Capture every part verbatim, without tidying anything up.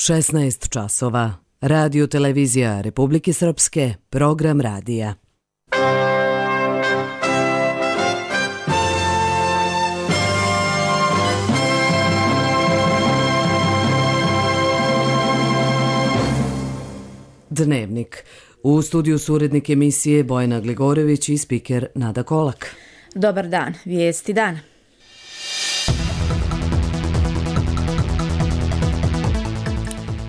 šesnaest časova. Radio televizija Republike Srpske, program radija. Dnevnik. U studiju su urednik emisije Bojana Gligorević i spiker Nada Kolak. Dobar dan, vijesti dana.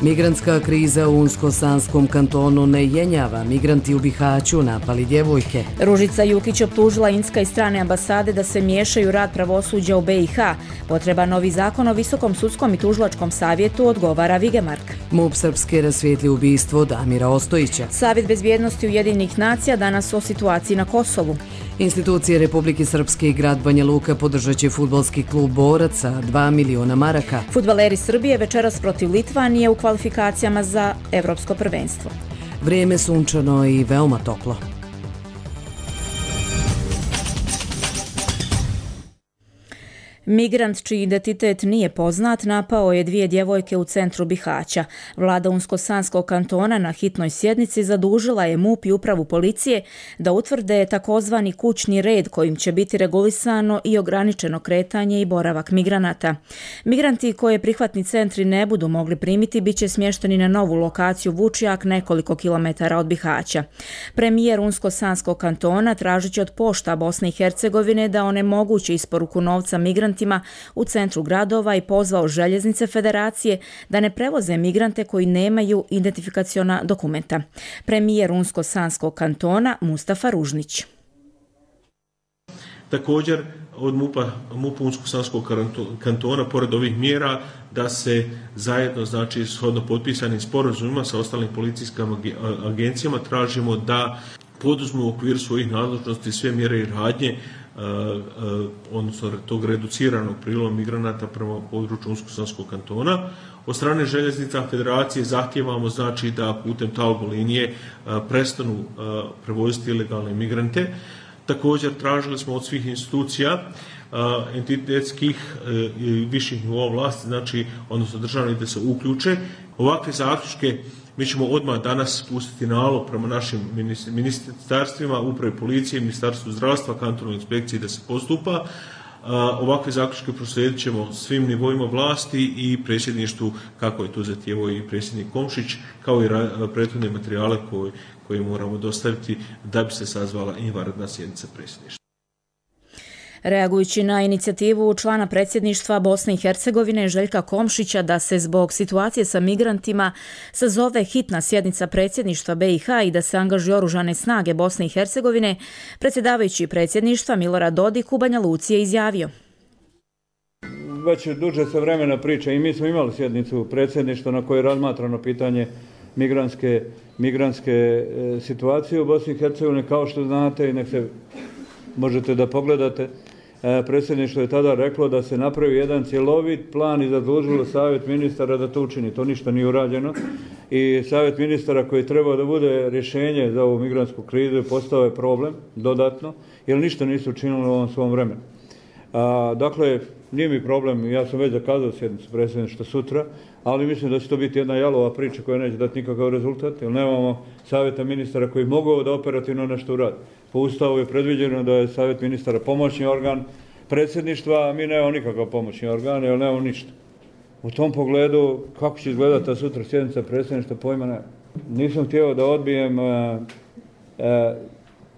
Migrantska kriza u Unsko-Sanskom kantonu ne jenjava. Migranti u Bihaću napali djevojke. Ružica Jukić optužila Indska i strane ambasade da se miješaju rad pravosuđa u B i H. Potreba novi zakon o Visokom sudskom i tužilačkom savjetu, odgovara Vigemark. MUP Srpske rasvijetli ubistvo Damira Ostojića. Savjet bezbjednosti Ujedinjenih nacija danas o situaciji na Kosovu. Institucije Republike Srpske i grad Banja Luka podržat će fudbalski klub Borac sa dva miliona maraka. Fudbaleri Srbije večeras protiv Litvanije u kvalifikacijama za evropsko prvenstvo. Vrijeme sunčano i veoma toplo. Migrant čiji identitet nije poznat napao je dvije djevojke u centru Bihaća. Vlada Unsko-Sanskog kantona na hitnoj sjednici zadužila je MUP i upravu policije da utvrde takozvani kućni red kojim će biti regulisano i ograničeno kretanje i boravak migranata. Migranti koje prihvatni centri ne budu mogli primiti bit će smješteni na novu lokaciju Vučjak nekoliko kilometara od Bihaća. Premijer Unsko-Sanskog kantona tražit će od pošta Bosne i Hercegovine da onemogući isporuku novca migrantima u centru gradova i pozvao željeznice federacije da ne prevoze migrante koji nemaju identifikaciona dokumenta. Premijer Unsko-Sanskog kantona Mustafa Ružnić. Također od MUP-a, MUP Unsko-Sanskog kantona, pored ovih mjera, da se zajedno, znači shodno potpisanim sporazumima sa ostalim policijskim agencijama, tražimo da poduzmu u okviru svojih nadležnosti sve mjere i radnje, Uh, uh, odnosno tog reduciranog prilova migranata prema području Unsko-Sanskog kantona. Od strane željeznica federacije zahtijevamo, znači, da putem talbo linije uh, prestanu uh, prevoziti ilegalne migrante. Također tražili smo od svih institucija uh, entitetskih uh, i viših nivoa vlasti, znači, odnosno državnih, da se uključe. Ovakve zaključke mi ćemo odmah danas pustiti nalog prema našim ministarstvima, upravi policije, ministarstvu zdravstva, kantonalnoj inspekciji da se postupa. Ovakve zaključke proslijedit ćemo svim nivoima vlasti i predsjedništvu, kako je to zahtijevao i predsjednik Komšić, kao i prethodne materijale koje, koje moramo dostaviti da bi se sazvala i vanredna sjednica predsjedništva. Reagujući na inicijativu člana predsjedništva Bosne i Hercegovine Željka Komšića da se zbog situacije sa migrantima sazove hitna sjednica predsjedništva B i H i da se angažuju oružane snage Bosne i Hercegovine, predsjedavajući predsjedništva Milorad Dodik u Banja Luci je izjavio. Već duže se vremena priča i mi smo imali sjednicu predsjedništva na kojoj je razmatrano pitanje migrantske, migrantske e, situacije u Bosni i Hercegovini. Kao što znate, i nek se možete da pogledate, predsjedništvo je tada reklo da se napravi jedan cjelovit plan i zadužilo savjet ministara da to učini. To ništa nije urađeno i savjet ministara koji treba da bude rješenje za ovu migrantsku krizu postao je problem dodatno, jer ništa nisu učinili u ovom svom vremenu. A, dakle, nije mi problem, ja sam već zakazao sjednicu predsjedništva sutra, ali mislim da će to biti jedna jalova priča koja neće dati nikakav rezultat, jer nemamo savjeta ministara koji mogu da operativno nešto uradi. Po Ustavu je predviđeno da je savjet ministara pomoćni organ predsjedništva, a mi nemamo nikakav pomoćni organ, jer nemamo ništa. U tom pogledu, kako će izgledati ta sutra sjednica predsjedništva, pojma ne. Nisam htio da odbijem, e, e,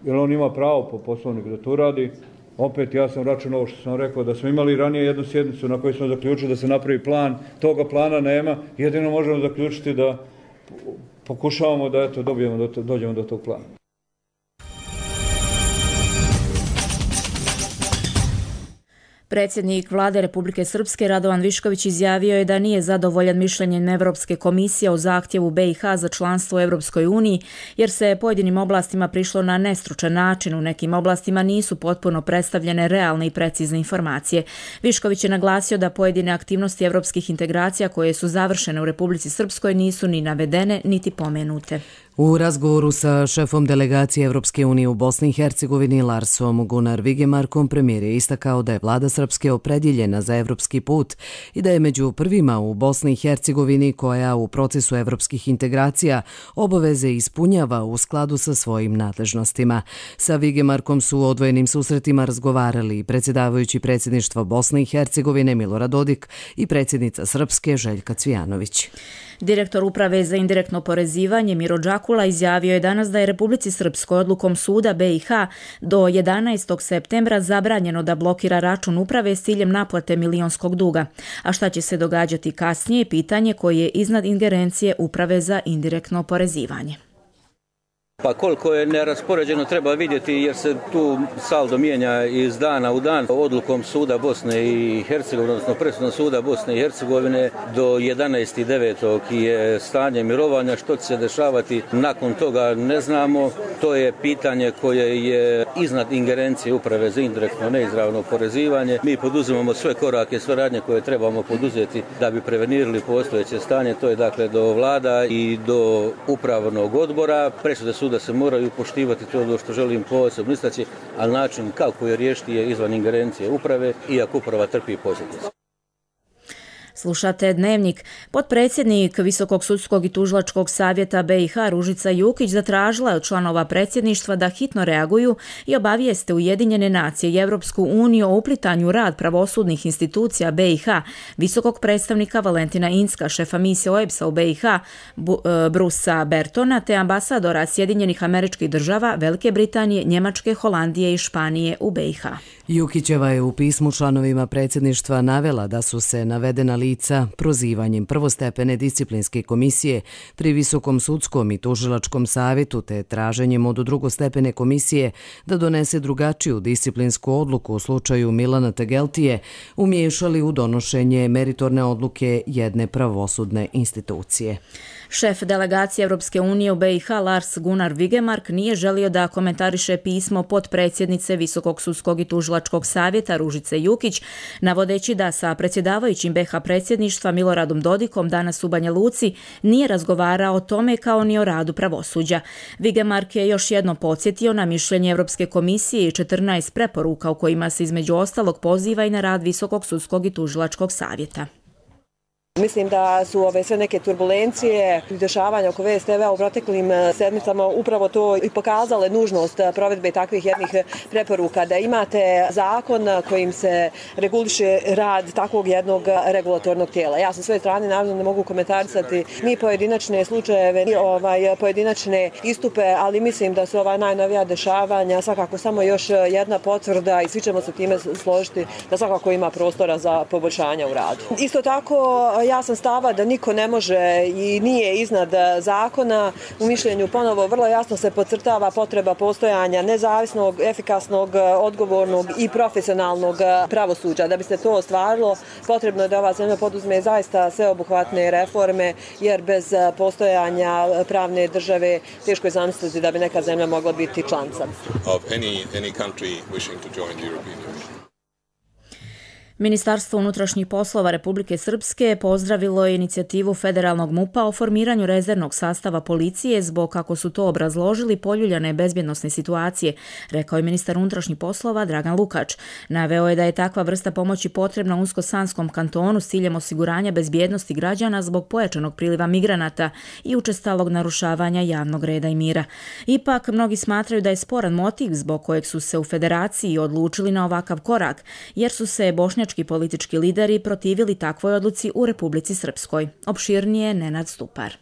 jer on ima pravo po poslovniku da to uradi. Opet ja sam računao ovo što sam rekao, da smo imali ranije jednu sjednicu na kojoj smo zaključili da se napravi plan, toga plana nema, jedino možemo zaključiti da pokušavamo da eto, dobijemo do, dođemo do tog plana. Predsjednik Vlade Republike Srpske Radovan Višković izjavio je da nije zadovoljan mišljenjem Evropske komisije o zahtjevu B i H za članstvo u Europskoj uniji, jer se pojedinim oblastima prišlo na nestručan način. U nekim oblastima nisu potpuno predstavljene realne i precizne informacije. Višković je naglasio da pojedine aktivnosti evropskih integracija koje su završene u Republici Srpskoj nisu ni navedene niti pomenute. U razgovoru sa šefom delegacije Evropske unije u Bosni i Hercegovini Larsom Gunnar Vigemarkom premijer je istakao da je vlada Srpske Srpske opredjeljena za evropski put i da je među prvima u Bosni i Hercegovini koja u procesu evropskih integracija obaveze ispunjava u skladu sa svojim nadležnostima. Sa Vigemarkom su u odvojenim susretima razgovarali predsjedavajući predsjedništva Bosne i Hercegovine Milorad Dodik i predsjednica Srpske Željka Cvijanović. Direktor Uprave za indirektno oporezivanje Miro Đakula izjavio je danas da je Republici Srpskoj odlukom suda B i H do jedanaestog septembra zabranjeno da blokira račun uprave s ciljem naplate milionskog duga. A šta će se događati kasnije, pitanje koje je iznad ingerencije Uprave za indirektno oporezivanje. Pa koliko je neraspoređeno treba vidjeti jer se tu saldo mijenja iz dana u dan. Odlukom suda Bosne i Hercegovine, odnosno presudom suda Bosne i Hercegovine do jedanaestog devetog je stanje mirovanja. Što će se dešavati nakon toga ne znamo. To je pitanje koje je iznad ingerencije Uprave za indirektno neizravno oporezivanje. Mi poduzimamo sve korake, sve radnje koje trebamo poduzeti da bi prevenirali postojeće stanje. To je dakle do vlada i do upravnog odbora. Presude suda da se moraju poštivati, to je ono što želim posebno istaći, ali način kako je riješiti je izvan ingerencije uprave, iako uprava trpi posljedice. Slušate Dnevnik. Potpredsjednik Visokog sudskog i tužilačkog savjeta B i H Ružica Jukić zatražila je od članova predsjedništva da hitno reaguju i obavijeste Ujedinjene nacije i Evropsku uniju o uplitanju u rad pravosudnih institucija B i H, visokog predstavnika Valentina Incka, šefa misije O E B S-a u B i H Brusa Bertona, te ambasadora Sjedinjenih Američkih Država, Velike Britanije, Njemačke, Holandije i Španije u B i H. Jukićeva je u pismu članovima predsjedništva navela da su se navedena lica prozivanjem prvostepene disciplinske komisije pri Visokom sudskom i tužilačkom savjetu te traženjem od drugostepene komisije da donese drugačiju disciplinsku odluku u slučaju Milana Tegeltije umiješali u donošenje meritorne odluke jedne pravosudne institucije. Šef delegacije Evropske unije u B i H Lars Gunnar Vigemark nije želio da komentariše pismo potpredsjednice Visokog sudskog i tužilačkog savjeta Ružice Jukić, navodeći da sa predsjedavajućim B H predsjedništva Miloradom Dodikom danas u Banja Luci nije razgovarao o tome kao ni o radu pravosuđa. Vigemark je još jednom podsjetio na mišljenje Evropske komisije i četrnaest preporuka u kojima se između ostalog poziva i na rad Visokog sudskog i tužilačkog savjeta. Mislim da su ove sve neke turbulencije i dešavanja oko V S T V-a u proteklim sedmicama upravo to i pokazale nužnost provedbe takvih jednih preporuka, da imate zakon kojim se reguliše rad takvog jednog regulatornog tijela. Ja sa svoje strane naravno ne mogu komentarisati ni pojedinačne slučajeve, ni ovaj, pojedinačne istupe, ali mislim da su ova najnovija dešavanja svakako samo još jedna potvrda i svi ćemo se time složiti da svakako ima prostora za poboljšanja u radu. Isto tako, ja sam stava da niko ne može i nije iznad zakona. U mišljenju ponovo vrlo jasno se podcrtava potreba postojanja nezavisnog, efikasnog, odgovornog i profesionalnog pravosuđa. Da bi se to ostvarilo, potrebno je da ova zemlja poduzme zaista sveobuhvatne reforme, jer bez postojanja pravne države teško je zamisliti da bi neka zemlja mogla biti članica. Ministarstvo unutrašnjih poslova Republike Srpske pozdravilo je inicijativu federalnog MUP-a o formiranju rezervnog sastava policije zbog, kako su to obrazložili, poljuljane bezbjednosne situacije, rekao je ministar unutrašnjih poslova Dragan Lukač. Naveo je da je takva vrsta pomoći potrebna Unsko-Sanskom kantonu s ciljem osiguranja bezbjednosti građana zbog pojačanog priliva migranata i učestalog narušavanja javnog reda i mira. Ipak, mnogi smatraju da je sporan motiv zbog kojeg su se u federaciji odlučili na ovakav korak, jer su se bošnjački politički lideri protivili takvoj odluci u Republici Srpskoj. Opširnije Nenad Stupar.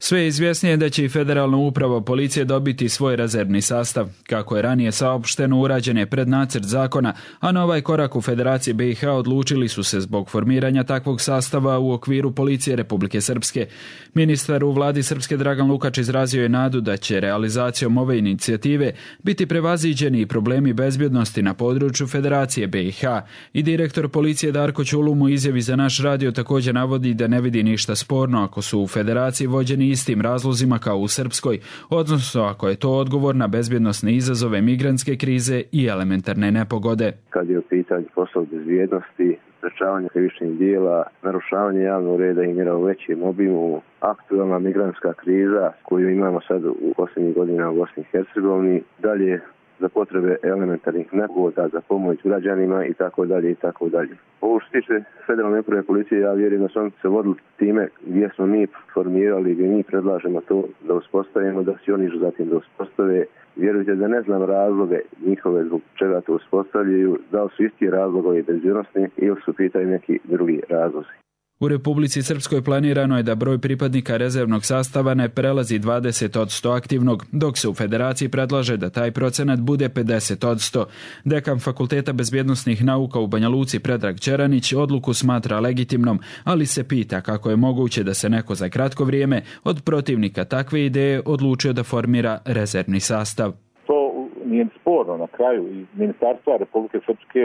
Sve je izvjesnije da će i Federalna uprava policije dobiti svoj rezervni sastav. Kako je ranije saopšteno, urađen je prednacrt zakona, a na ovaj korak u Federaciji B i H odlučili su se zbog formiranja takvog sastava u okviru policije Republike Srpske. Ministar u vladi Srpske Dragan Lukač izrazio je nadu da će realizacijom ove inicijative biti prevaziđeni i problemi bezbjednosti na području Federacije B i H. I direktor policije Darko Ćulum u izjavi za naš radio također navodi da ne vidi ništa sporno ako su u Federaciji vođeni istim razlozima kao u Srpskoj, odnosno ako je to odgovor na bezbjednosne izazove migrantske krize i elementarne nepogode. Kad je u pitanju poslov bezbjednosti, sprečavanje krivičnih dijela, narušavanje javnog reda i mira u većem obimu, aktualna migrantska kriza koju imamo sad u posljednjih godina u Bosni i Hercegovini, dalje za potrebe elementarnih nepogoda, za pomoć građanima i tako dalje i tako dalje. Ovo što se tiče federalne uprave policije, ja vjerujem da su oni se vodili time gdje smo mi formirali, gdje mi predlažemo to da uspostavimo, da se oni zatim da uspostave. Vjerujte da ne znam razloge njihove zbog čega to uspostavljaju, da li su isti razlogovi bezbjednosni ili su pitaju neki drugi razlozi. U Republici Srpskoj planirano je da broj pripadnika rezervnog sastava ne prelazi dvadeset posto aktivnog, dok se u Federaciji predlaže da taj procenat bude pedeset posto. Dekan Fakulteta bezbjednosnih nauka u Banja Luci Predrag Čeranić odluku smatra legitimnom, ali se pita kako je moguće da se neko za kratko vrijeme od protivnika takve ideje odlučio da formira rezervni sastav. To nije sporno. Na kraju iz Ministarstva Republike Srpske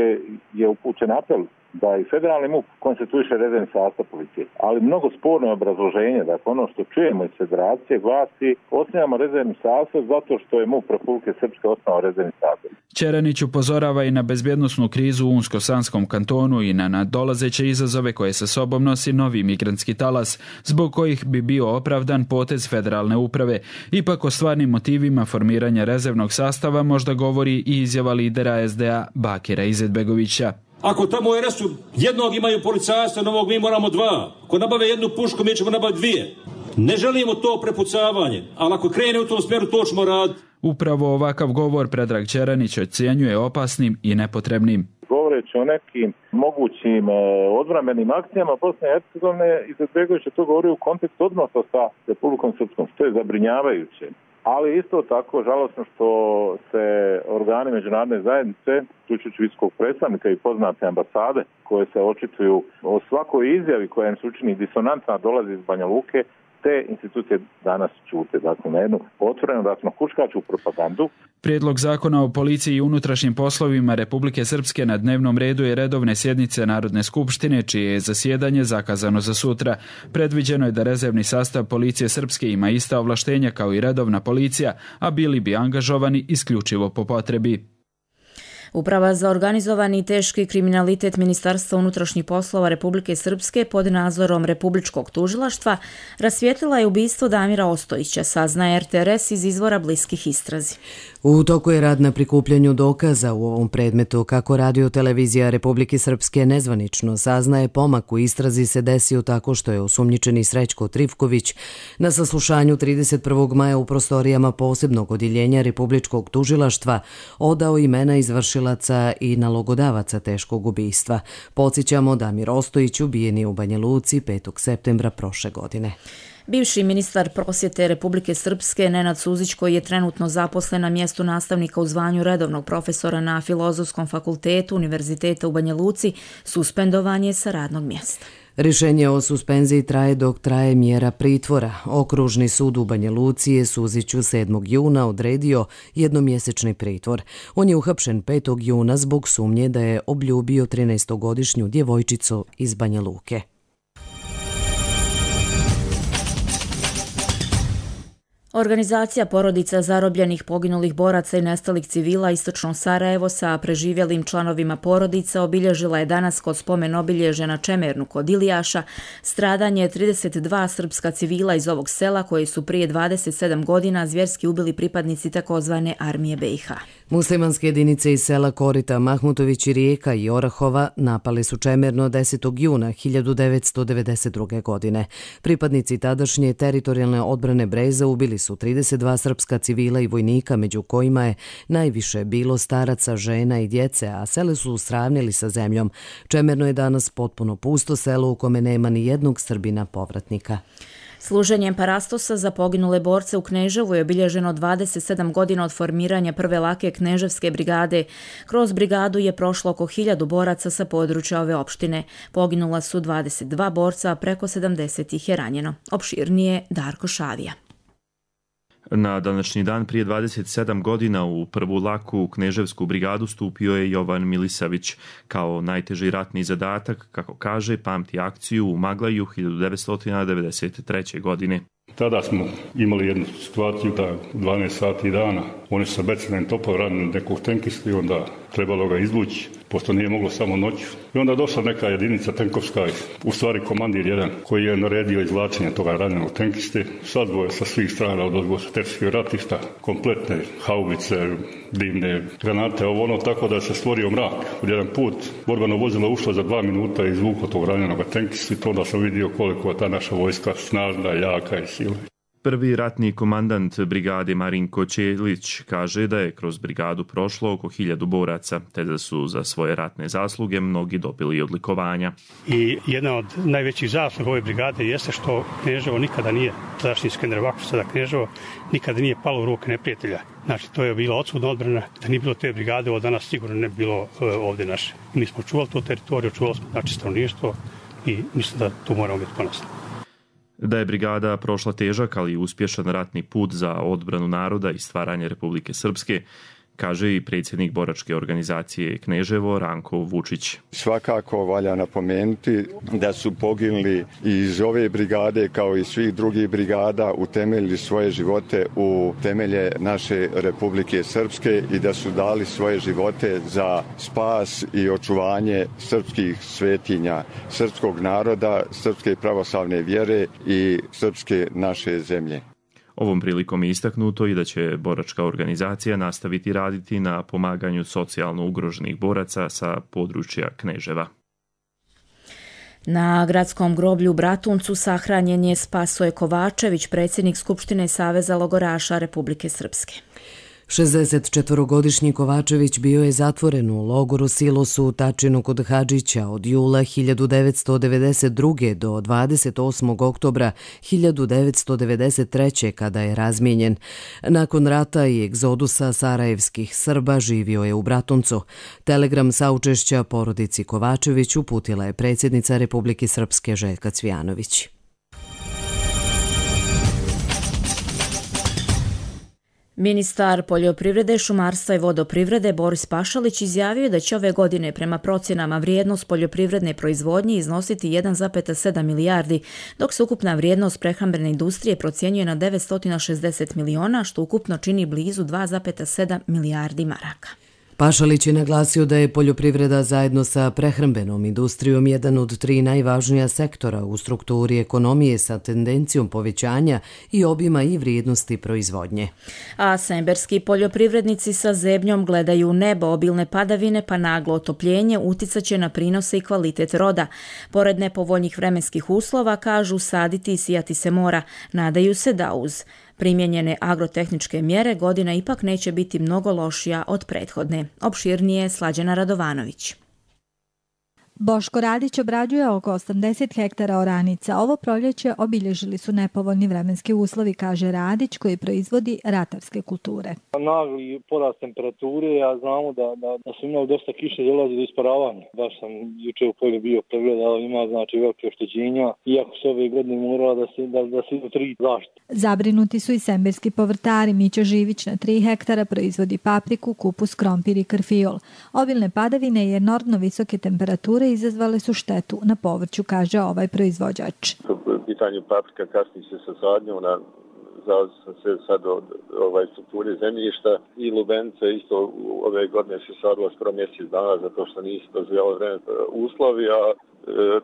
je upućen apel da i federalni M U P konstituiše rezervni sastav policije. Ali mnogo sporno je obrazloženje, dakle ono što čujemo iz federacije glasi osnivamo rezervni sastav zato što je M U P Republike Srpske osnovao rezervni sastav. Čeranić upozorava i na bezbjednosnu krizu u Unsko-Sanskom kantonu i na nadolazeće izazove koje sa sobom nosi novi migrantski talas, zbog kojih bi bio opravdan potez federalne uprave. Ipak o stvarnim motivima formiranja rezervnog sastava možda govori i izjava lidera S D A Bakira Izetbegovića. Ako tamo u R S-u jednog imaju policajstva, novog mi moramo dva. Ako nabave jednu pušku, mi ćemo nabaviti dvije. Ne želimo to prepucavanje, ali ako krene u tom smjeru, to ćemo raditi. Upravo ovakav govor Predrag Čeranić ocjenjuje opasnim i nepotrebnim. Govoreći o nekim mogućim odbrambenim akcijama Bosne i Hercegovine, Izetbegović je to govorio u kontekstu odnosa sa Republikom Srpskom, što je zabrinjavajuće. Ali isto tako žalosno što se organi međunarodne zajednice, uključujući visokog predstavnika i poznate ambasade, koje se očituju o svakoj izjavi koja im se učini disonantna dolazi iz Banja Luke, te institucije danas ćute, dakle, na jednu otvorenu ratno-huškačku propagandu. Prijedlog zakona o policiji i unutrašnjim poslovima Republike Srpske na dnevnom redu je redovne sjednice Narodne skupštine, čije je zasjedanje zakazano za sutra. Predviđeno je da rezervni sastav policije Srpske ima ista ovlaštenja kao i redovna policija, a bili bi angažovani isključivo po potrebi. Uprava za organizovani i teški kriminalitet Ministarstva unutrašnjih poslova Republike Srpske pod nadzorom Republičkog tužilaštva rasvijetlila je ubistvo Damira Ostojića, saznaje R T R S iz izvora bliskih istrazi. U toku je rad na prikupljanju dokaza u ovom predmetu. Kako Radio televizija Republike Srpske nezvanično saznaje, pomak u istrazi se desio tako što je osumnjičeni Srećko Trifković na saslušanju trideset prvog maja u prostorijama posebnog odjeljenja Republičkog tužilaštva odao imena izvršilaca i nalogodavaca teškog ubistva. Podsjećamo, Damir Ostojić ubijen je u Banja Luci petog septembra prošle godine. Bivši ministar prosvjete Republike Srpske Nenad Suzić, koji je trenutno zaposlen na mjestu nastavnika u zvanju redovnog profesora na Filozofskom fakultetu Univerziteta u Banja Luci, suspendovan je sa radnog mjesta. Rješenje o suspenziji traje dok traje mjera pritvora. Okružni sud u Banja Luci je Suziću sedmog juna odredio jednomjesečni pritvor. On je uhapšen petog juna zbog sumnje da je obljubio trinaestogodišnju djevojčicu iz Banja Luke. Organizacija porodica zarobljenih, poginulih boraca i nestalih civila Istočno Sarajevo sa preživjelim članovima porodica obilježila je danas kod spomen obilježja na Čemernu kod Ilijaša stradanje trideset dva srpska civila iz ovog sela koji su prije dvadeset sedam godina zvjerski ubili pripadnici takozvane armije B i H. Muslimanske jedinice iz sela Korita, Mahmutović i Rijeka i Orahova napali su Čemerno desetog juna hiljadu devetsto devedeset druge. godine. Pripadnici tadašnje teritorijalne odbrane Breza ubili su trideset dva srpska civila i vojnika, među kojima je najviše bilo staraca, žena i djece, a sele su sravnili sa zemljom. Čemerno je danas potpuno pusto selo u kome nema ni jednog Srbina povratnika. Služenjem parastosa za poginule borce u Kneževu je obilježeno dvadeset sedam godina od formiranja prve lake Kneževske brigade. Kroz brigadu je prošlo oko hiljadu boraca sa područja ove opštine. Poginula su dvadeset dva borca, a preko sedamdeset ih je ranjeno. Opširnije Darko Šavija. Na današnji dan prije dvadeset sedam godina u prvu laku Kneževsku brigadu stupio je Jovan Milisavić. Kao najteži ratni zadatak, kako kaže, pamti akciju u Maglaju hiljadu devetsto devedeset treće. godine. Tada smo imali jednu situaciju da dvanaest sati dana Oni su sa becimenim topom radili nekog tenkistu i onda trebalo ga izvući, pošto nije moglo samo noću. I onda došla neka jedinica tenkovska, u stvari komandir jedan, koji je naredio izvlačenje toga ranjenog tenkiste. Sadvoje sa svih strana od odgovoriteljskih ratišta, kompletne haubice, dimne granate, ovo ono, tako da se stvorio mrak. Od jedan put borbeno vozilo ušlo za dva minuta i izvuklo tog ranjenog tenkista i to onda sam vidio koliko je ta naša vojska snažna, jaka i silna. Prvi ratni komandant brigade Marinko Ćelić kaže da je kroz brigadu prošlo oko hiljadu boraca, te da su za svoje ratne zasluge mnogi dobili odlikovanja. I jedna od najvećih zasluga ove brigade jeste što Kneževo nikada nije, tadašnji Skenderbakov, sada Kneževo, nikada nije palo u ruke neprijatelja. Znači, to je bila odsudna odbrana, da nije bilo te brigade, ovo danas sigurno ne bi bilo ovdje naše. Mi smo čuvali tu teritoriju, čuvali smo znači stanovništvo i mislim da tu moramo biti ponosni. Da je brigada prošla težak, ali uspješan ratni put za odbranu naroda i stvaranje Republike Srpske, kaže i predsjednik boračke organizacije Kneževo Ranko Vučić. Svakako valja napomenuti da su poginuli iz ove brigade kao i svih drugih brigada, utemeljili svoje živote u temelje naše Republike Srpske i da su dali svoje živote za spas i očuvanje srpskih svetinja, srpskog naroda, srpske pravoslavne vjere i srpske naše zemlje. Ovom prilikom je istaknuto i da će boračka organizacija nastaviti raditi na pomaganju socijalno ugroženih boraca sa područja Kneževa. Na gradskom groblju u Bratuncu sahranjen je Spasoje Kovačević, predsjednik Skupštine Saveza logoraša Republike Srpske. šezdesetčetvorogodišnji Kovačević bio je zatvoren u logoru Silosu u Tačinu kod Hadžića od jula hiljadu devetsto devedeset druge. do dvadeset osmog oktobra hiljadu devetsto devedeset treće. kada je razmijenjen. Nakon rata i egzodusa sarajevskih Srba živio je u Bratuncu. Telegram saučešća porodici Kovačević uputila je predsjednica Republike Srpske Željka Cvijanović. Ministar poljoprivrede, šumarstva i vodoprivrede Boris Pašalić izjavio da će ove godine prema procjenama vrijednost poljoprivredne proizvodnje iznositi jedan zarez sedam milijardi, dok se ukupna vrijednost prehrambene industrije procjenjuje na devetsto šezdeset miliona, što ukupno čini blizu dva zarez sedam milijardi maraka. Pašalić je naglasio da je poljoprivreda zajedno sa prehrambenom industrijom jedan od tri najvažnija sektora u strukturi ekonomije sa tendencijom povećanja i obima i vrijednosti proizvodnje. A semberski poljoprivrednici sa zebnjom gledaju u nebo. Obilne padavine pa naglo otopljenje uticaće na prinose i kvalitet roda. Pored nepovoljnih vremenskih uslova, kažu, saditi i sijati se mora. Nadaju se da uz primjenjene agrotehničke mjere godina ipak neće biti mnogo lošija od prethodne. Opširnije Slađana Radovanović. Boško Radić obrađuje oko osamdeset hektara oranica. Ovo proljeće obilježili su nepovoljni vremenski uslovi, kaže Radić, koji proizvodi ratarske kulture. Nagli porast temperature, a znamo da, da, da su imali dosta kiše, dolazi do isparavanja. Baš sam juče u polju bio pregledao, ima znači velike oštećenja, iako se ove godine morala da se, da, da se idu tri zaštite. Zabrinuti su i semberski povrtari. Mića Živić na tri hektara proizvodi papriku, kupus, krompir i karfiol. Obilne padavine i enormno visoke temperature izazvale su štetu na povrću, kaže ovaj proizvođač. U pitanju paprika kasni se sa sadnjom, na zavodi sam se sad od ovaj, strukture zemljišta i lubenice isto ove godine se sadila skoro mjesec dana zato što nisu dozvoljavali vreme uslovi, a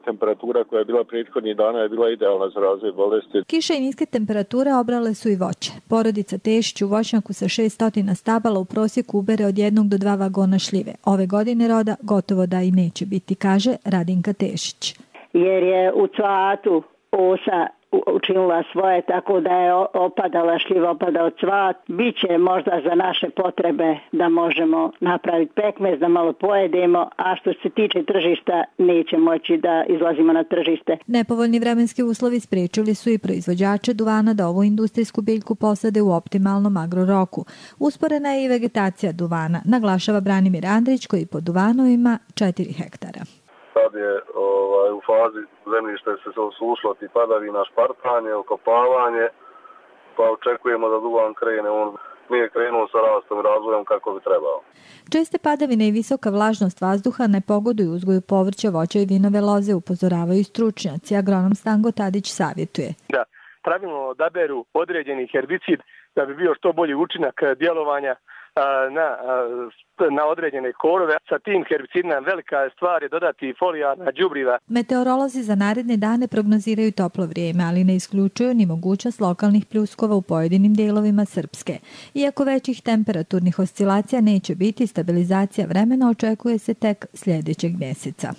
temperatura koja je bila prethodnih dana je bila idealna za razvoj bolesti. Kiše i niske temperature obrale su i voće. Porodica Tešić u voćnjaku sa šessto stabala u prosjeku ubere od jednog do dva vagona šljive. Ove godine roda gotovo da i neće biti, kaže Radinka Tešić. Jer je u cvatu osa učinila svoje, tako da je opadala šljiva, opadao cvat. Biće možda za naše potrebe da možemo napraviti pekmez, da malo pojedemo, a što se tiče tržišta neće moći da izlazimo na tržište. Nepovoljni vremenski uslovi spriječili su i proizvođače duvana da ovu industrijsku biljku posade u optimalnom agroroku. Usporena je i vegetacija duvana, naglašava Branimir Andrić, koji po duvanu ima četiri hektara. Sad je ovaj, u fazi zemljište se osušilo ti padavina, špartanje, okopavanje, pa očekujemo da duvan krene, on nije krenuo sa rastom i razvojem kako bi trebao. Česte padavine i visoka vlažnost vazduha ne pogoduju uzgoju povrća, voća i vinove loze, upozoravaju stručnjaci. Agronom Stango Tadić savjetuje. Da pravilno odaberu određeni herbicid da bi bio što bolji učinak djelovanja na, na određene korove. Sa tim herbicidima velika stvar je dodati folijarna đubriva. Meteorolozi za naredne dane prognoziraju toplo vrijeme, ali ne isključuju ni mogućnost lokalnih pljuskova u pojedinim dijelovima Srpske. Iako većih temperaturnih oscilacija neće biti, stabilizacija vremena očekuje se tek sljedećeg mjeseca.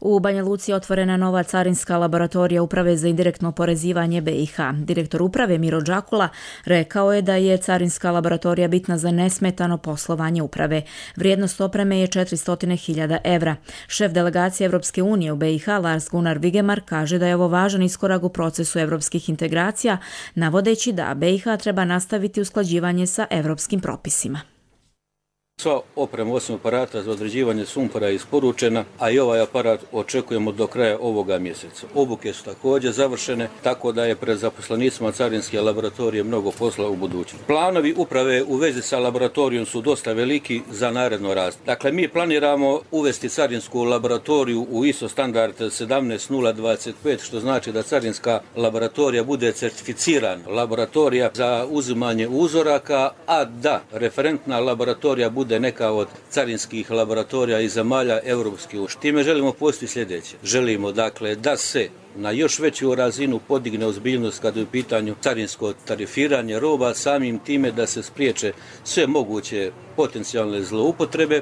U Banja Luci je otvorena nova carinska laboratorija Uprave za indirektno oporezivanje B i H. Direktor uprave Miro Đakula rekao je da je carinska laboratorija bitna za nesmetano poslovanje uprave. Vrijednost opreme je četiristo hiljada evra. Šef delegacije Evropske unije u B i H Lars Gunnar Vigemar kaže da je ovo važan iskorak u procesu evropskih integracija, navodeći da B i H treba nastaviti usklađivanje sa evropskim propisima. Sva oprema osim aparata za određivanje sumpora je isporučena, a i ovaj aparat očekujemo do kraja ovoga mjeseca. Obuke su također završene, tako da je pred zaposlenicima carinske laboratorije mnogo posla u budućnosti. Planovi uprave u vezi sa laboratorijom su dosta veliki za naredno razdoblje. Dakle, mi planiramo uvesti carinsku laboratoriju u I S O standard sedamnaest nula dvadeset pet, što znači da carinska laboratorija bude certificirana laboratorija za uzimanje uzoraka, a da referentna laboratorija bude neka od carinskih laboratorija iz zemalja Europske unije. Time želimo postići sljedeće. Želimo dakle da se na još veću razinu podigne ozbiljnost kada je u pitanju carinsko tarifiranje roba, samim time da se spriječe sve moguće potencijalne zloupotrebe.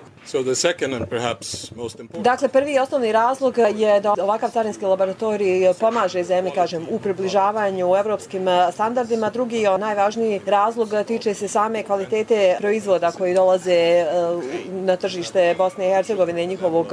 Dakle, prvi i osnovni razlog je da ovakav carinski laboratorij pomaže zemlji, kažem, u približavanju evropskim standardima. Drugi, najvažniji razlog tiče se same kvalitete proizvoda koji dolaze na tržište Bosne i Hercegovine, njihovog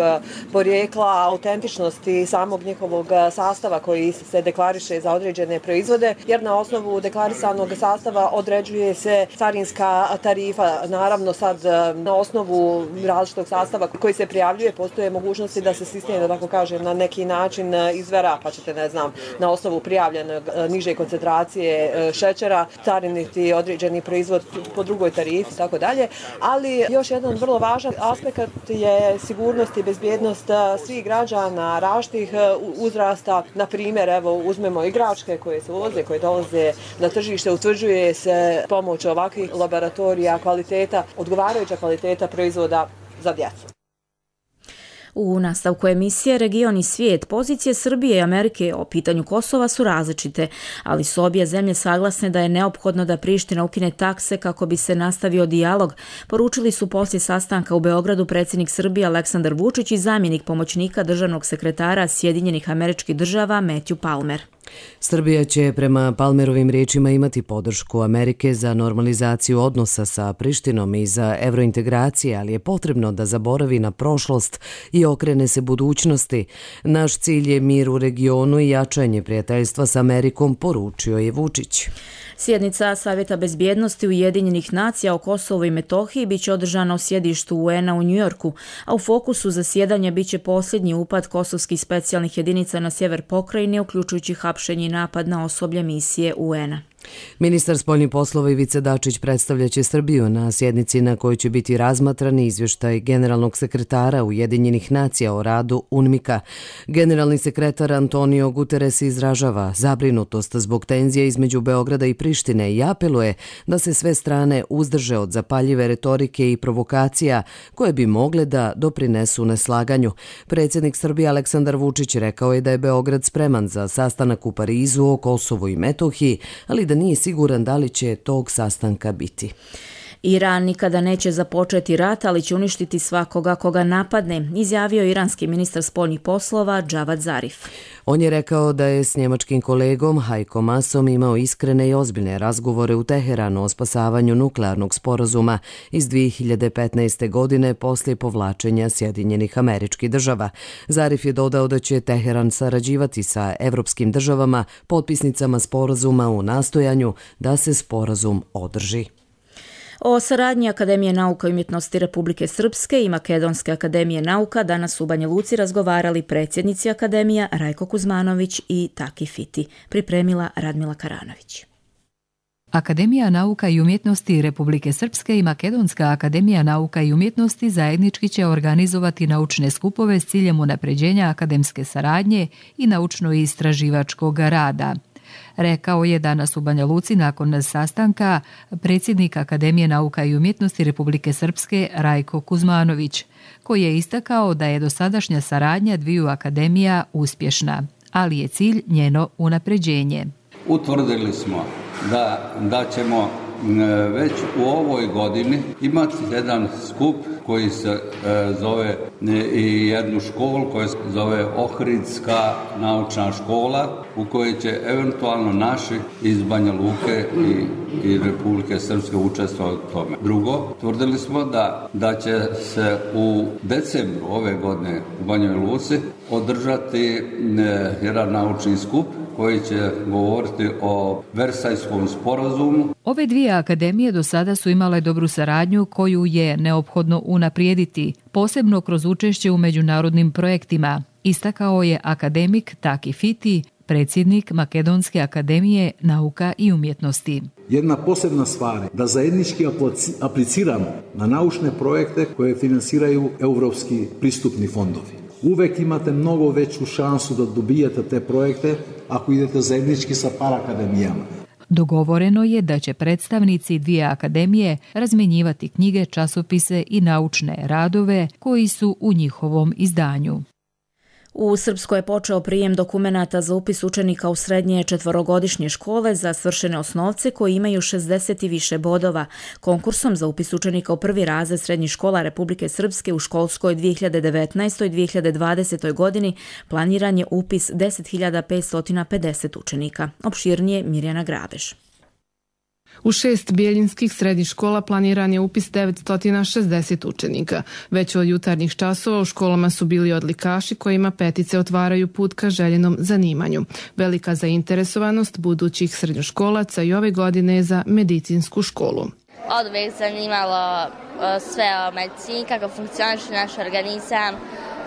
porijekla, autentičnosti samog njihovog sastava koji se deklariše za određene proizvode, jer na osnovu deklarisanog sastava određuje se carinska tarifa. Naravno, sad na osnovu različitog sastava koji se prijavljuje postoje mogućnosti da se sistem, da tako kažem, na neki način izvera, pa ćete, ne znam, na osnovu prijavljene niže koncentracije šećera cariniti određeni proizvod po drugoj tarifi i tako dalje. Ali još jedan vrlo važan aspekt je sigurnost i bezbjednost svih građana različitih uzrasta. Na primjer, evo, uzmemo igračke koje se uvoze, koje dolaze na tržište, utvrđuje se pomoć ovakvih laboratorija kvaliteta, odgovarajuća kvaliteta proizvoda za djecu. U nastavku emisije Region i svijet, pozicije Srbije i Amerike o pitanju Kosova su različite, ali su obje zemlje saglasne da je neophodno da Priština ukine takse kako bi se nastavio dijalog, poručili su poslije sastanka u Beogradu predsjednik Srbije Aleksandar Vučić i zamjenik pomoćnika državnog sekretara Sjedinjenih Američkih Država Matthew Palmer. Srbija će prema Palmerovim riječima imati podršku Amerike za normalizaciju odnosa sa Prištinom i za evrointegracije, ali je potrebno da zaboravi na prošlost i okrene se budućnosti. Naš cilj je mir u regionu i jačanje prijateljstva s Amerikom, poručio je Vučić. Sjednica Savjeta bezbjednosti Ujedinjenih nacija o Kosovu i Metohiji biće održana u sjedištu U N a u Njujorku, a u fokusu zasjedanja biće posljednji upad kosovskih specijalnih jedinica na sjever pokrajine, uključujući hapšenje i napad na osoblje misije U N a. Ministar spoljnih poslova Ivica Dačić predstavljaće Srbiju na sjednici na kojoj će biti razmatran izvještaj generalnog sekretara Ujedinjenih nacija o radu U N M I K-a. Generalni sekretar Antonio Guterres izražava zabrinutost zbog tenzije između Beograda i Prištine i apeluje da se sve strane uzdrže od zapaljive retorike i provokacija koje bi mogle da doprinesu neslaganju. Predsjednik Srbije Aleksandar Vučić rekao je da je Beograd spreman za sastanak u Parizu o Kosovu i Metohiji, ali da nije siguran da li će tog sastanka biti. Iran nikada neće započeti rat, ali će uništiti svakoga koga napadne, izjavio iranski ministar spoljnih poslova Džavad Zarif. On je rekao da je s njemačkim kolegom Hajkom Masom imao iskrene i ozbiljne razgovore u Teheranu o spasavanju nuklearnog sporazuma iz dvije hiljade petnaeste. godine poslije povlačenja Sjedinjenih Američkih Država. Zarif je dodao da će Teheran sarađivati sa evropskim državama, potpisnicama sporazuma u nastojanju da se sporazum održi. O saradnji Akademije nauka i umjetnosti Republike Srpske i Makedonske akademije nauka danas u Banja Luci razgovarali predsjednici akademija Rajko Kuzmanović i Taki Fiti. Pripremila Radmila Karanović. Akademija nauka i umjetnosti Republike Srpske i Makedonska akademija nauka i umjetnosti zajednički će organizovati naučne skupove s ciljem unapređenja akademske saradnje i naučno-istraživačkog rada. rekao je danas u Banja Luci nakon sastanka predsjednik Akademije nauka i umjetnosti Republike Srpske Rajko Kuzmanović, koji je istakao da je dosadašnja saradnja dviju akademija uspješna, ali je cilj njeno unapređenje. Utvrdili smo da, da ćemo već u ovoj godini imati jedan skup koji se e, zove i jednu školu koja se zove Ohridska naučna škola, u kojoj će eventualno naši iz Banja Luke i, i Republike Srpske učestvovati u tome. Drugo, tvrdili smo da, da će se u decembru ove godine u Banjoj Luci održati e, jedan naučni skup koji će govoriti o Versajskom sporazumu. Ove dvije akademije do sada su imale dobru saradnju koju je neophodno unaprijediti, posebno kroz učešće u međunarodnim projektima, istakao je akademik Taki Fiti, predsjednik Makedonske akademije nauka i umjetnosti. Jedna posebna stvar je da zajednički apliciramo na naučne projekte koje finansiraju europski pristupni fondovi. Uvek imate mnogo veću šansu da dobijete te projekte ako idete zajednički sa par akademijama. Dogovoreno je da će predstavnici dvije akademije razmjenjivati knjige, časopise i naučne radove koji su u njihovom izdanju. U Srpskoj je počeo prijem dokumenata za upis učenika u srednje četvorogodišnje škole za svršene osnovce koji imaju šezdeset i više bodova. Konkursom za upis učenika u prvi razred srednjih škola Republike Srpske u školskoj dvije hiljade devetnaestoj dvije hiljade dvadesetoj godini planiran je upis deset hiljada petsto pedeset učenika. Opširnije Mirjana Grabež. U šest bijeljinskih srednjih škola planiran je upis devetsto šezdeset učenika. Već od jutarnjih časova u školama su bili odlikaši kojima petice otvaraju put ka željenom zanimanju. Velika zainteresovanost budućih srednjoškolaca i ove godine je za medicinsku školu. Od uvijek zanimalo sve o medicini, kako funkcioniše naš organizam,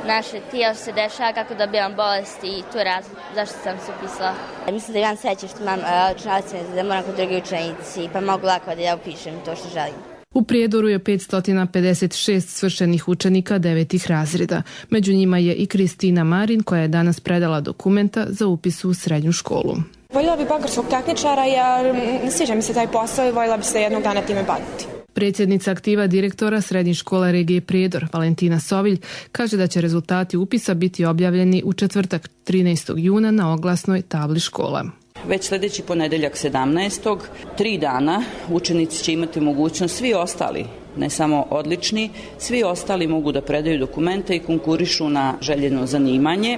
naše tijelo se dešava, kako dobijam bolesti i tu raz zašto sam se upisala. Mislim da imam sreće što imam učenjaci, da moram kod drugi učenici, pa mogu lako da ja upišem to što želim. U Prijedoru je petsto pedeset šest svršenih učenika devetih razreda. Među njima je i Kristina Marin koja je danas predala dokumenta za upis u srednju školu. Voljela bi bankarskog tehničara jer ne sviđa mi se taj posao i voljela bi se jednog dana time baviti. Predsjednica aktiva direktora Srednje škole regije Prijedor, Valentina Sovilj, kaže da će rezultati upisa biti objavljeni u četvrtak trinaestog juna na oglasnoj tabli škola. Već sljedeći ponedeljak sedamnaestog tri dana učenici će imati mogućnost, svi ostali, ne samo odlični, svi ostali mogu da predaju dokumente i konkurišu na željeno zanimanje.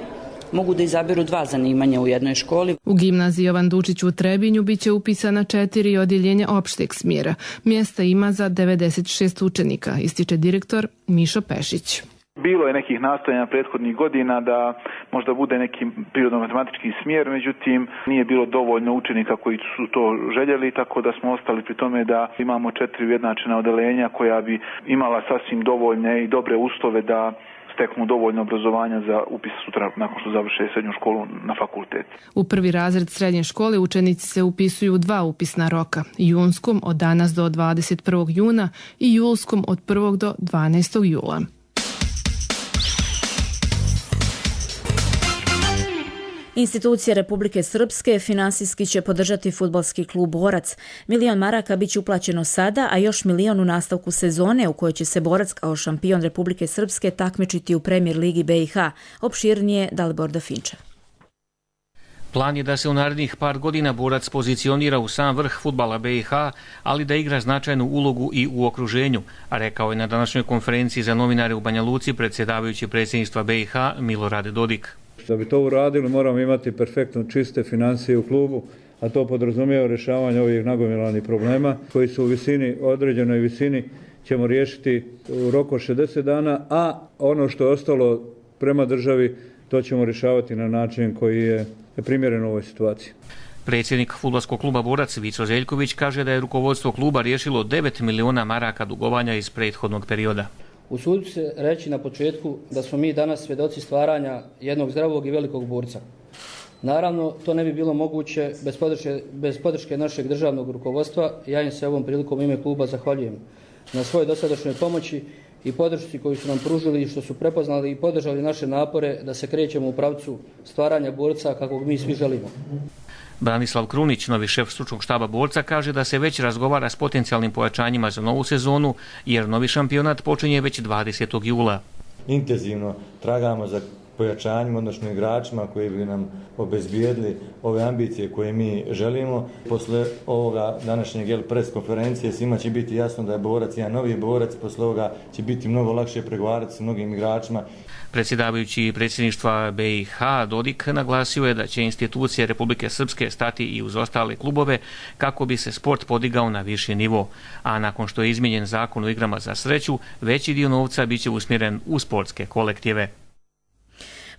Mogu da izaberu dva zanimanja u jednoj školi. U gimnaziji Jovan Dučić u Trebinju biće upisana četiri odjeljenja opšteg smjera. Mjesta ima za devedeset šest učenika, ističe direktor Mišo Pešić. Bilo je nekih nastojanja prethodnih godina da možda bude neki prirodno-matematički smjer, međutim nije bilo dovoljno učenika koji su to željeli, tako da smo ostali pri tome da imamo četiri ujednačena odeljenja koja bi imala sasvim dovoljne i dobre uslove da steknu dovoljno obrazovanja za upis sutra nakon što završe srednju školu na fakultet. U prvi razred srednje škole učenici se upisuju u dva upisna roka, junskom od danas do dvadeset prvog juna i julskom od prvog do dvanaestog jula. Institucije Republike Srpske finansijski će podržati fudbalski klub Borac. Milion maraka bit će uplaćeno sada, a još milion u nastavku sezone u kojoj će se Borac kao šampion Republike Srpske takmičiti u Premier ligi B i H. Opširnije Dalibor Dafinča. Plan je da se u narednih par godina Borac pozicionira u sam vrh fudbala B i H, ali da igra značajnu ulogu i u okruženju, a rekao je na današnjoj konferenciji za novinare u Banja Luci predsjedavajući predsjedništva B i H Milorad Dodik. Da bi to uradili moramo imati perfektno čiste financije u klubu, a to podrazumijeva rješavanje ovih nagomilanih problema koji su u visini, određenoj visini ćemo riješiti u roku šezdeset dana, a ono što je ostalo prema državi to ćemo rješavati na način koji je primjeren ovoj situaciji. Predsjednik fudbalskog kluba Borac Vico Zeljković kaže da je rukovodstvo kluba riješilo devet miliona maraka dugovanja iz prethodnog perioda. Usudim se reći na početku da smo mi danas svjedoci stvaranja jednog zdravog i velikog borca. Naravno, to ne bi bilo moguće bez podrške, bez podrške našeg državnog rukovodstva. Ja im se ovom prilikom ime kluba zahvaljujem na svojoj dosadašnjoj pomoći i podršci koju su nam pružili i što su prepoznali i podržali naše napore da se krećemo u pravcu stvaranja borca kakvog mi svi želimo. Branislav Krunić, novi šef stručnog štaba borca, kaže da se već razgovara s potencijalnim pojačanjima za novu sezonu, jer novi šampionat počinje već dvadesetog jula. Intenzivno tragamo za pojačanjima, odnosno igračima koji bi nam obezbijedili ove ambicije koje mi želimo. Posle ovoga današnjeg jel, pres konferencije svima će biti jasno da je borac jedan novi borac, posle ovoga će biti mnogo lakše pregovarati s mnogim igračima. Predsjedavajući predsjedništva B i H Dodik naglasio je da će institucije Republike Srpske stati i uz ostale klubove kako bi se sport podigao na viši nivo, a nakon što je izmijenjen zakon o igrama za sreću, veći dio novca biće usmjeren u sportske kolektive.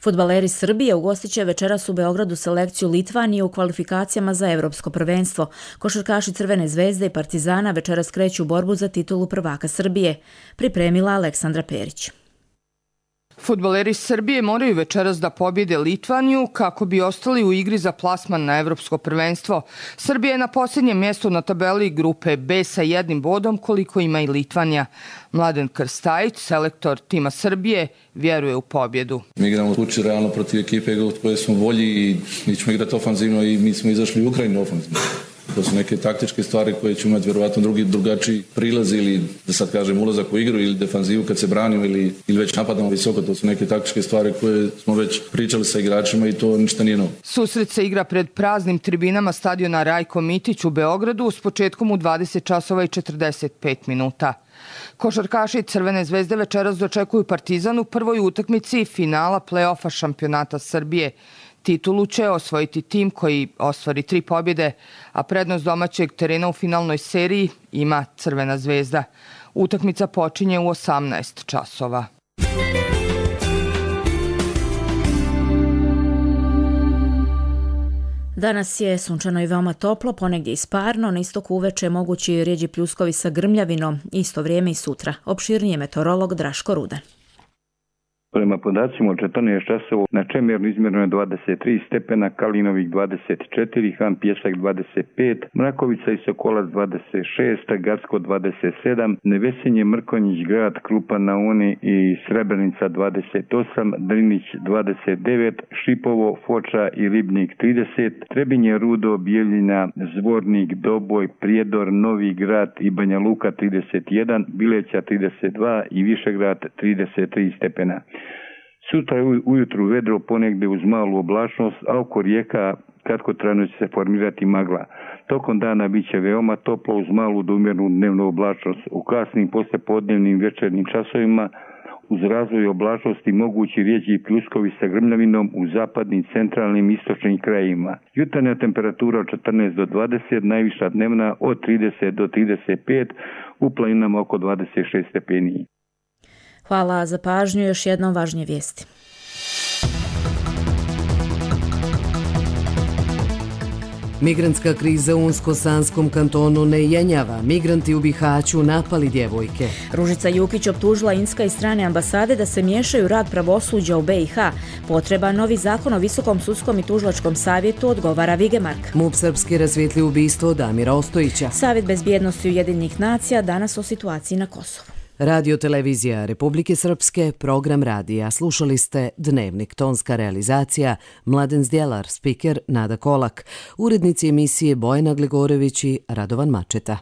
Fudbaleri Srbije ugostit će večeras u Beogradu selekciju Litvanije u kvalifikacijama za Evropsko prvenstvo. Košarkaši Crvene zvezde i Partizana večeras kreću u borbu za titulu prvaka Srbije. Pripremila Aleksandra Perić. Fudbaleri Srbije moraju večeras da pobjede Litvaniju kako bi ostali u igri za plasman na Evropsko prvenstvo. Srbija je na posljednjem mjestu na tabeli grupe B sa jednim bodom koliko ima i Litvanija. Mladen Krstajić, selektor tima Srbije, vjeruje u pobjedu. Mi igramo uči realno protiv ekipe koje smo volji i mi ćemo igrati ofanzivno i mi smo izašli u Ukrajinu ofanzivno. To su neke taktičke stvari koje će imati vjerovatno drugi drugačiji prilaz ili, da sad kažem, ulazak u igru ili defanzivu kad se branimo ili, ili već napadamo visoko. To su neke taktičke stvari koje smo već pričali sa igračima i to ništa nije novo. Susret se igra pred praznim tribinama stadiona Rajko Mitić u Beogradu s početkom u dvadeset časova i četrdeset pet minuta. Košarkaši Crvene zvezde večeras dočekuju Partizan u prvoj utakmici finala play-offa šampionata Srbije. Titulu će osvojiti tim koji ostvari tri pobjede, a prednost domaćeg terena u finalnoj seriji ima Crvena zvezda. Utakmica počinje u osamnaest časova. Danas je sunčano i veoma toplo, ponegdje i sparno, na istoku uveče mogući rjeđi pljuskovi sa grmljavinom, isto vrijeme i sutra. Opširnije meteorolog Draško Rudan. Prema podacima od četrnaest časova na Čemernu izmjereno je dvadeset tri stepena, Kalinovik dvadeset četiri, Han Pjesak dvadeset pet, Mrakovica i Sokolac dvadeset šest, Gacko dvadeset sedam, Nevesinje, Mrkonjić, Grad, Krupa na Uni i Srebrenica dvadeset osam, Drinić dvadeset devet, Šipovo, Foča i Ribnik trideset, Trebinje, Rudo, Bijeljina, Zvornik, Doboj, Prijedor, Novi Grad i Banja Luka trideset jedan, Bileća trideset dva i Višegrad trideset tri stepena. Sutra ujutru vedro ponegde uz malu oblačnost, a oko rijeka kratkotrajno će se formirati magla. Tokom dana bit će veoma toplo uz malu do umjernu dnevnu oblačnost. U kasnim poslijepodnevnim večernjim časovima uz razvoj oblačnosti mogući rijeđi pljuskovi sa grmljavinom u zapadnim, centralnim i istočnim krajevima. Jutarnja temperatura od četrnaest do dvadeset, najviša dnevna od trideset do trideset pet, u planinama oko dvadeset šest stepeni. Hvala za pažnju, još jednom važnije vijesti. Migrantska kriza u Unsko-Sanskom kantonu ne jenjava. Migranti u Bihaću napali djevojke. Ružica Jukić optužila Inska i strane ambasade da se miješaju rad pravosuđa u B i H. Potreba novi zakon o Visokom sudskom i tužilačkom savjetu, odgovara Vigemark. MUP Srpski rasvijetli ubistvo Damira Ostojića. Savjet bezbjednosti Ujedinjenih nacija danas o situaciji na Kosovu. Radio televizija Republike Srpske, program radija. Slušali ste Dnevnik, tonska realizacija, Mladen Zdjelar, spiker Nada Kolak, urednici emisije Bojana Glegorević i Radovan Mačeta.